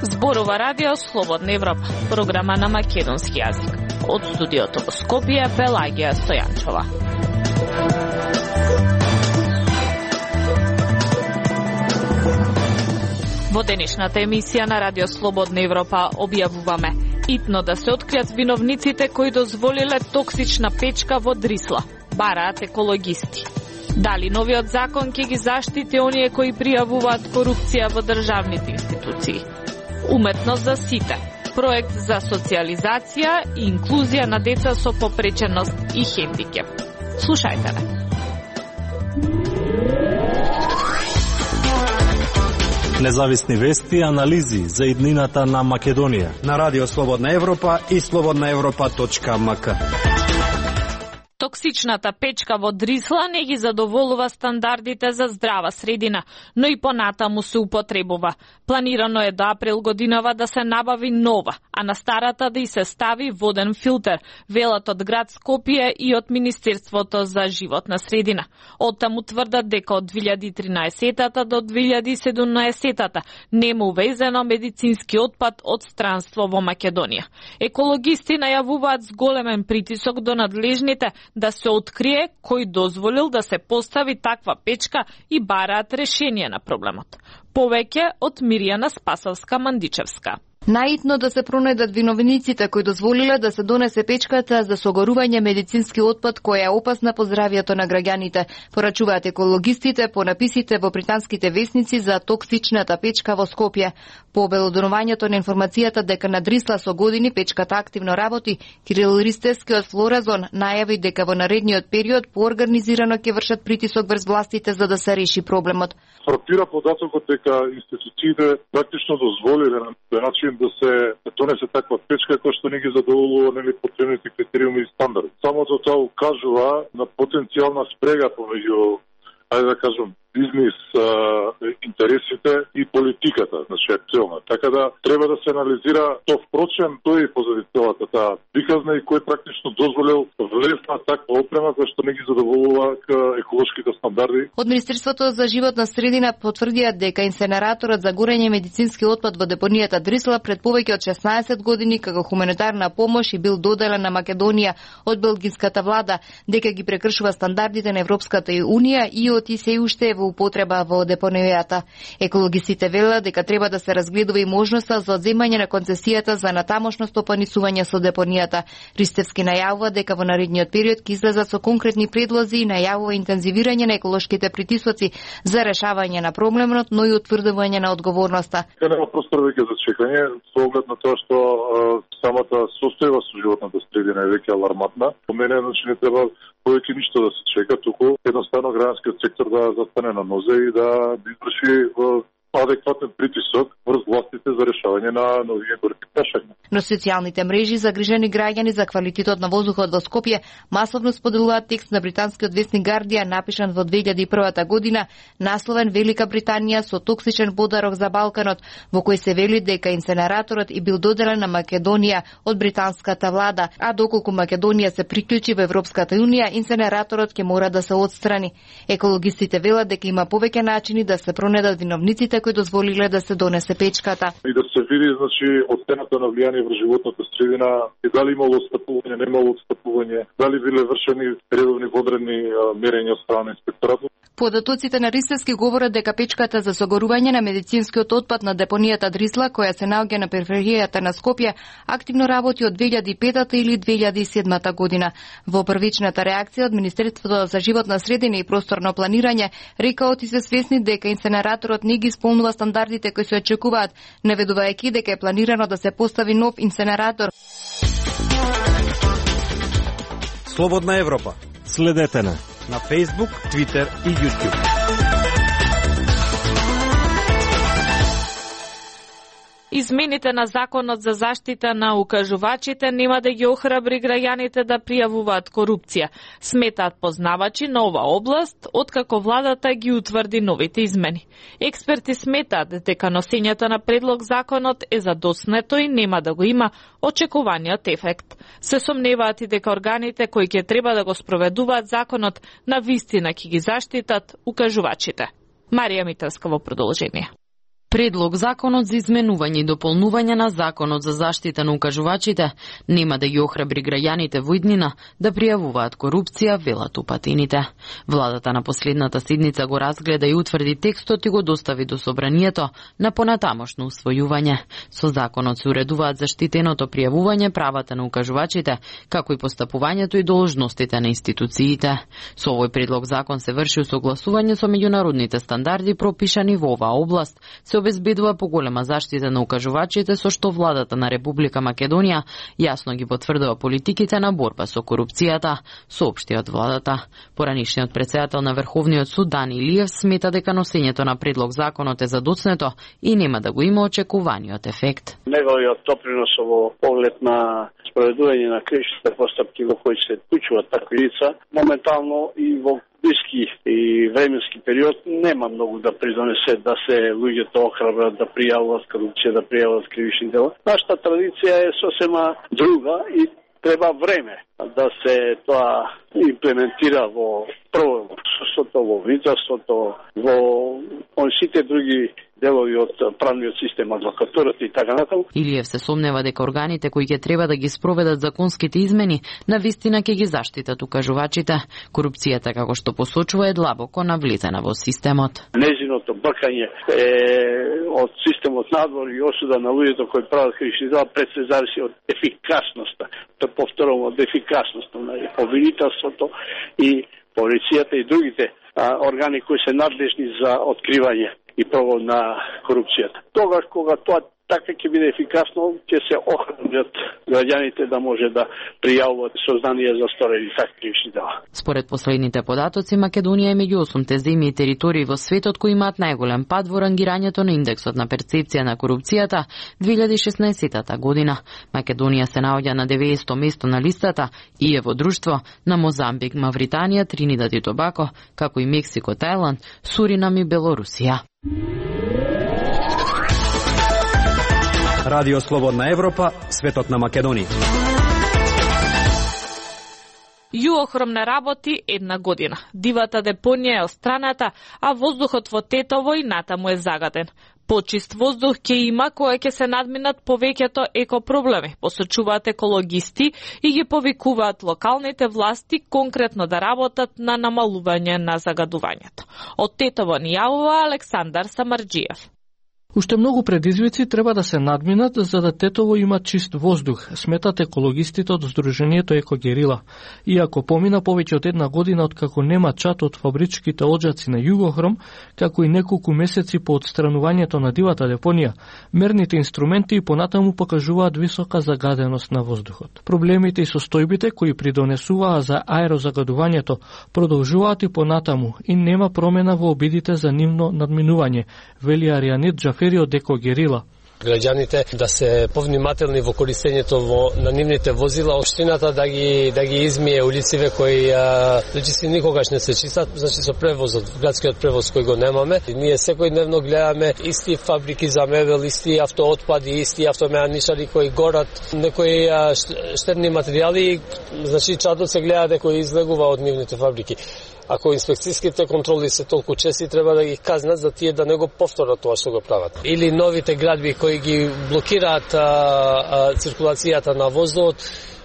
Зборува радио Слободна Европа, програма на македонски јазик. Од студиото во Скопје, Пелагија Стојанчова. Во денешната емисија на радио Слободна Европа објавуваме итно да се откријат виновниците кои дозволиле токсична печка во Дрисла. Бараат екологисти. Дали новиот закон ќе ги заштити оние кои пријавуваат корупција во државните институции? Уметност за сите. Проект за социализација и инклузија на деца со попреченост и хендикеп. Слушајте ме. Независни вести и анализи за иднината на Македонија на Радио Слободна Европа и slobodnaevropa.mk. Токсичната печка во Дрисла не ги задоволува стандардите за здрава средина, но и понатаму се употребува. Планирано е до април годинава да се набави нова, а на старата да и се стави воден филтер, велат од град Скопје и од Министерството за животна средина. Оттаму тврдат дека од 2013 до 2017 нема увезено медицински отпад од странство во Македонија. Екологисти најавуваат с големен притисок до надлежните да се открие кој дозволил да се постави таква печка и бараат решение на проблемот. Повеќе од Мирјана Спасовска-Мандичевска. Наитно да се пронајдат виновниците кои дозволиле да се донесе печката за согорување медицински отпад која е опасна по здравието на граѓаните, порачуваат екологистите по написите во британските весници за токсичната печка во Скопје. По обелодонувањето на информацијата дека на Дрисла со години печката активно работи, Кирил Ристевски од Флоразон најави дека во наредниот период поорганизирано ќе вршат притисок врз властите за да се реши проблемот. Фрапира податокот дека институциите практично дозволиле на начин да се донесе таква печка која што не ги задоволува потребните критериуми и стандарди. Самото тоа укажува на потенцијална спрега помеѓу, ајде да кажам, бизнис интересите и политиката, значи актуелна. Така да треба да се анализира тоа впрочем тој и позади целата таа приказна и кој практично дозволил влезна таква опрема која што не ги задоволува еколошките стандарди. Од Министерството за животна средина потврдија дека инсенераторот за горење медицински отпад во депонијата Дрисла пред повеќе од 16 години како хуманитарна помош и бил доделен на Македонија од белгиската влада, дека ги прекршува стандардите на Европската унија и од се уште во употреба во депонијата. Екологистите велат дека треба да се разгледува и можноста за одземање на концесијата за натамошно стопанисување со депонијата. Ристевски најавува дека во наредниот период ќе излезат со конкретни предлози и најавува интензивирање на еколошките притисоци за решавање на проблемот, но и утврдување на одговорноста. Нема простор веќе за чекање, со оглед на тоа што самата состојба со животната средина е веќе алармантна. По мене, значи, не треба повеќе ништо да се чека, туку едноставно граѓанскиот сектор да застане на нозе и да изврши адекватен притисок врз властите за решавање на нови горки прашања. Но социјалните мрежи загрижени граѓани за квалитетот на воздухот во Скопје масовно споделуваат текст на британскиот весник Guardian напишан во 2001 година, насловен Велика Британија со токсичен подарок за Балканот, во кој се вели дека инсенераторот и бил доделен на Македонија од британската влада, а доколку Македонија се приклучи во Европската унија, инсенераторот ќе мора да се отстрани. Екологистите велат дека има повеќе начини да се пронајдат виновниците кои дозволиле да се донесе печката. И да се види, значи, оцената на влијание врз животната средина и дали имало отстапување, немало отстапување, дали биле вршени редовни водредни мерења од страна на инспекторатот. Податоците на Ристевски говорат дека печката за согорување на медицинскиот отпад на депонијата Дрисла, која се наоѓа на периферијата на Скопје, активно работи од 2005 или 2007 година. Во првичната реакција од Министерството за животна средина и просторно планирање рекаот и се свесни дека инсенераторот не ги исполнува стандардите кои се очекуваат, наведувајќи дека е планирано да се постави нов инсенератор. Слободна Европа. Следете на Facebook, Twitter и YouTube. Измените на Законот за заштита на укажувачите нема да ги охрабри граѓаните да пријавуваат корупција, сметаат познавачи на ова област, откако владата ги утврди новите измени. Експерти сметаат дека носењето на предлог законот е задоснето и нема да го има очекуваниот ефект. Се сомневаат и дека органите кои ќе треба да го спроведуваат законот на вистина ќе ги заштитат укажувачите. Марија Митевска во продолжение. Предлог законот за изменување и дополнување на Законот за заштита на укажувачите нема да ги охрабри граѓаните во иднина да пријавуваат корупција, велат упатените. Владата на последната седница го разгледа и утврди текстот и го достави до собранието на понатамошно усвојување. Со законот се уредуваат заштитеното пријавување, правата на укажувачите, како и постапувањето и должностите на институциите. Со овој предлог закон се врши усогласување со меѓународните стандарди пропишани во оваа област, се обезбедува поголема заштита на укажувачите, со што владата на Република Македонија јасно ги потврдува политиките на борба со корупцијата, соопшти од владата. Поранишниот претседател на Врховниот суд Дани Илиев смета дека носењето на предлог законот е задоцнето и нема да го има очекуваниот ефект. Неговиот допринос во поглед на спроведување на кривичните постапки во кои се вклучуваат такви лица, моментално и во блиски и временски период нема многу да придонесе да се луѓето охрабрат да пријавуваат корупција, да пријавуваат кривични дела. Нашата традиција е сосема друга и треба време да се тоа имплементира во прво судството, во виновството, во сите други делови од правниот систем, адвокатурата и така натаму. Илиев се сомнева дека органите кои ќе треба да ги спроведат законските измени на вистина ќе ги заштитат укажувачите. Корупцијата, како што посочува, е длабоко навлезена во системот. Незиното бркање од системот надвор и осуда на луѓето кои прават кривични дела пред се зависи од ефикасноста. Тоа повторувам, од ефикасноста на обвинителството и полицијата и другите органи кои се надлежни за откривање и прогон на корупцијата. Тогаш кога тоа така ќе биде ефикасно, ќе се охранат граѓаните да може да пријавуваат сознанија за сторени такви кривични дела. Според последните податоци, Македонија е меѓу 8 земји и територии во светот кои имаат најголем пад во рангирањето на индексот на перцепција на корупцијата 2016 година. Македонија се наоѓа на 90-то место на листата и е во друштво на Мозамбик, Мавританија, Тринидад и Тобако, како и Мексико, Тајланд, Суринам и Белорусија. Радио Слободна Европа, светот на Македонија. Јуохром не работи една година. Дивата депонија е остраната, а воздухот во Тетово и натаму е загаден. Почист воздух ќе има кој ќе се надминат повеќето екопроблеми, посочуваат екологисти и ги повикуваат локалните власти конкретно да работат на намалување на загадувањето. Од Тетово ни јавува Александар Самарџиев. Уште многу предизвици треба да се надминат за да Тетово има чист воздух, сметат екологистите од Сдруженијето Екогерила. Иако помина повеќе од една година откако нема чат од фабричките оджаци на Југохром, како и неколку месеци по отстранувањето на дивата депонија, мерните инструменти и понатаму покажуваат висока загаденост на воздухот. Проблемите и состојбите кои придонесуваа за аерозагадувањето продолжуваат и понатаму и нема промена во обидите за нивно надминување, вели Аријанит Джафери од Екогерила. Граѓаните да се повнимателни во користењето на нивните возила, општината да ги измие улиците кои речиси никогаш не се чистат, значи со превозот, градскиот превоз кој го немаме. Ние секојдневно гледаме исти фабрики за мебел, исти автоотпади, исти автомеаничари кои горат некои штетни материјали, значи чадот се гледа дека излегува од нивните фабрики. Ако инспекцијските контроли се толку чести, треба да ги казнат за тие да не го повторат тоа што го прават. Или новите градби кои ги блокираат циркулацијата на воздухот,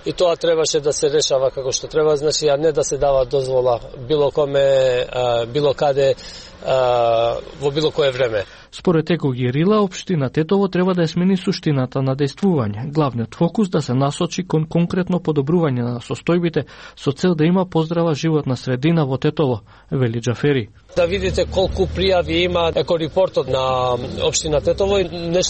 и тоа требаше да се решава како што треба, значи, а не да се дава дозвола било коме, било каде, во било кое време. Според Екогерила, општина Тетово треба да ја смени суштината на дејствување. Главниот фокус да се насочи кон конкретно подобрување на состојбите со цел да има поздрава животна средина во Тетово, вели Джафери. Да видите колку пријави има екорепортот на општина Тетово и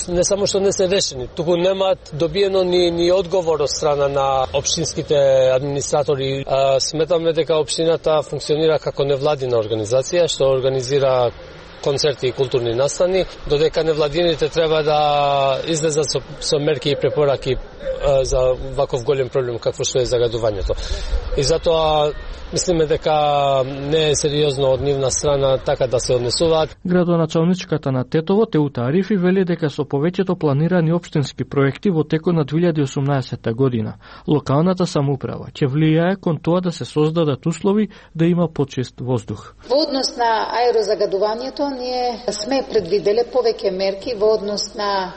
не само што не се решени, туку немаат добиено ни одговор од страна на општинските администратори. Сметаме дека општината функционира како невладина организација што организира концерти и културни настани, додека невладините треба да излезат со мерки и препораки за ваков голем проблем какво што е загадувањето. И затоа мислиме дека не е сериозно од нивна страна така да се однесуваат. Градоначалничката на Тетово, Теута Арифи, вели дека со повеќето планирани општински проекти во текот на 2018 година, локалната самоуправа ќе влијае кон тоа да се создадат услови да има почист воздух. Во однос на аерозагадувањето, ние сме предвиделе повеќе мерки во однос на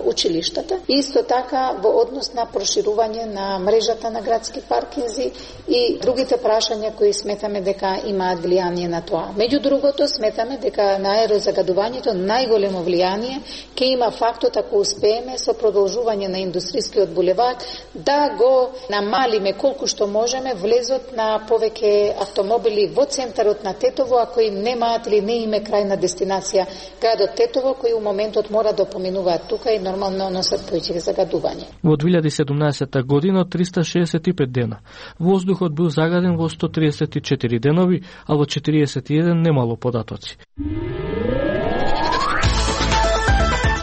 училиштата и исто така во однос на проширување на мрежата на градски паркинзи и другите прашања кои сметаме дека имаат влијание на тоа. Меѓу другото, сметаме дека на аерозагадувањето најголемо влијание ќе има фактот ако успееме со продолжување на индустријскиот булевар да го намалиме колку што можеме влезот на повеќе автомобили во центарот на Тетово, а кои немаат или не име крајна дестинација градот Тетово, кои у моментот мора да поминуваат тука и нормално носат повеќе загадување. Во 2017 година 365 дена воздухот бил загаден во 134 денови, а во 41 немало податоци.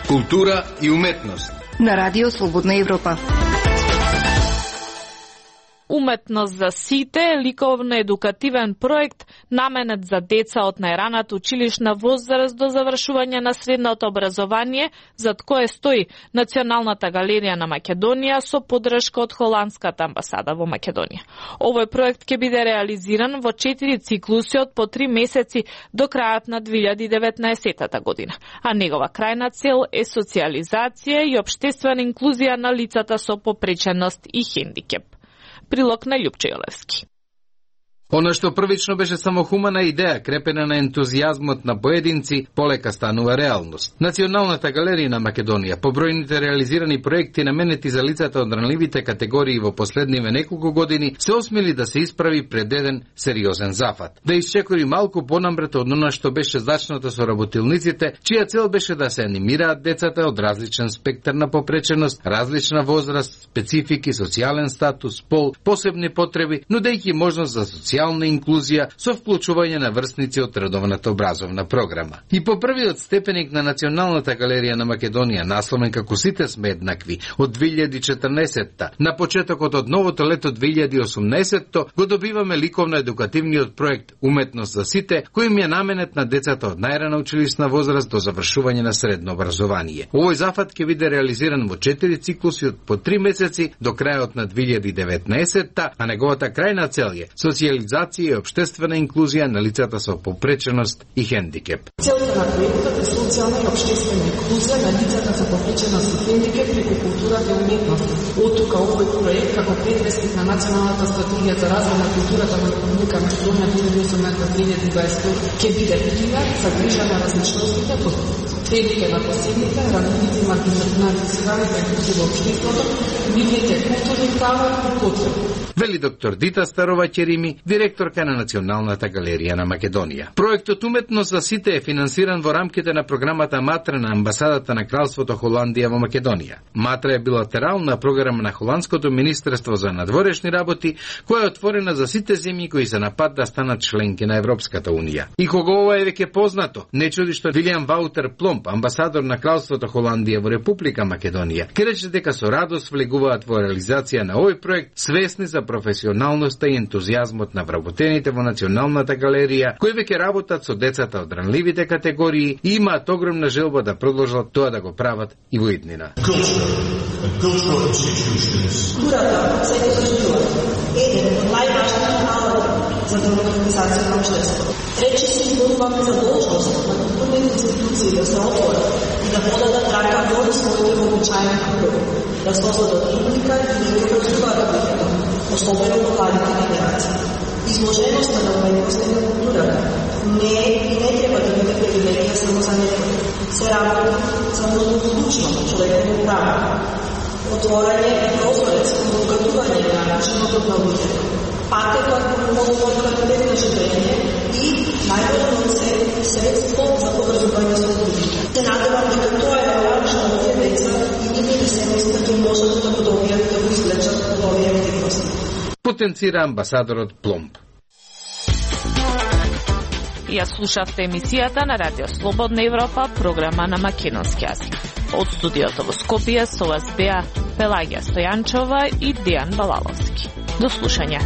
Култура и уметност на Радио Слободна Европа. Уметност за сите е ликовно-едукативен проект наменет за деца од најраната училишна возраст до завршување на средното образование, зад кое стои Националната галерија на Македонија со поддршка од Холандската амбасада во Македонија. Овој проект ќе биде реализиран во 4 циклуси од по 3 месеци до крајот на 2019 година, а негова крајна цел е социализација и општествена инклузија на лицата со попреченост и хендикеп. Прилог на Љупче Јолевски. Она што првично беше само хумана идеја, крепена на ентузијазмот на поединци, полека станува реалност. Националната галерија на Македонија, по бројните реализирани проекти наменети за лицата од ранливите категории во последниве неколку години, се осмели да се исправи пред еден сериозен зафат. Да исчекори малку понамрето од она што беше зачнато со работилниците, чија цел беше да се анимираат децата од различен спектар на попреченост, различна возраст, специфики, социјален статус, пол, посебни потреби, нудејќи можност за социјална инклузија со вклучување на врсници од редовната образовна програма. И по првиот степеник на Националната галерија на Македонија, насловен како Сите сме еднакви, од 2014-та, на почетокот од новото лето 2018-то, го добиваме ликовно-едукативниот проект Уметност за сите, кој им е наменет на децата од најрана училишна возраст до завршување на средно образование. Овој зафат ќе биде реализиран во 4 циклуси од по 3 месеци до крајот на 2019-та, а неговата крајна цел е социализација и општествена инклузија на лицата со попреченост и хендикеп. Целта на проектот е социјална и општествена инклузија на лицата со попреченост и хендикеп преку културата и уметноста. Оттука овој проект како предвестник на Националната стратегија за развој на културата на Република Македонија 2018-2020 ќе биде пример за грижа на различностите, потребите на посебните, ранливите и маргинализираните групи во општеството, нивните културни права и потреби. Вели доктор Дита Старова Черими, директорка на Националната галерија на Македонија. Проектот Уметност за сите е финансиран во рамките на програмата Матра на амбасадата на Кралството Холандија во Македонија. Матра е билатерална програма на Холандското министерство за надворешни работи, која е отворена за сите земји кои се на пат да станат членки на Европската унија. И кога ова е веќе познато, не чуди што Вилијам Ваутер Пломп, амбасадор на Кралството Холандија во Република Македонија, ке рече дека со радост влегуваат во реализација на овој проект, свесни за професионалноста и ентузијазмот на вработените во Националната галерија, кои веќе работат со децата од ранливите категории и имаат огромна желба да продолжат тоа да го прават и во иднина. Културата се изразува еден од најважните алати за демократизација на општеството. Рече се изборуваме за должност на културни институции да се отворат и да подадат рака во своите вообичаени кругови, да создадат публика и да ја образуваат особено во младите генерации. Изложеноста на уметноста и на културата не е и не треба да биде привилегија само за некои. Се работи за многоклучно човеково право. Отворање и прозорец кон обогатување на животот на луѓето. Патекот кон квалитет на живење и најважно се средство за поврзување со луѓето. Се надевам дека тоа е важно за овие деца и нивните семејства ќе можат да го добијат да го извлечат од овие активности. Потенцира амбасадорот Пломб. Ја слушавте емисијата на Радио Слободна Европа, програма на македонски јазик. Од студиото во Скопје со вас беа Пелагија Стојанчова и Дејан Балаловски. До слушање.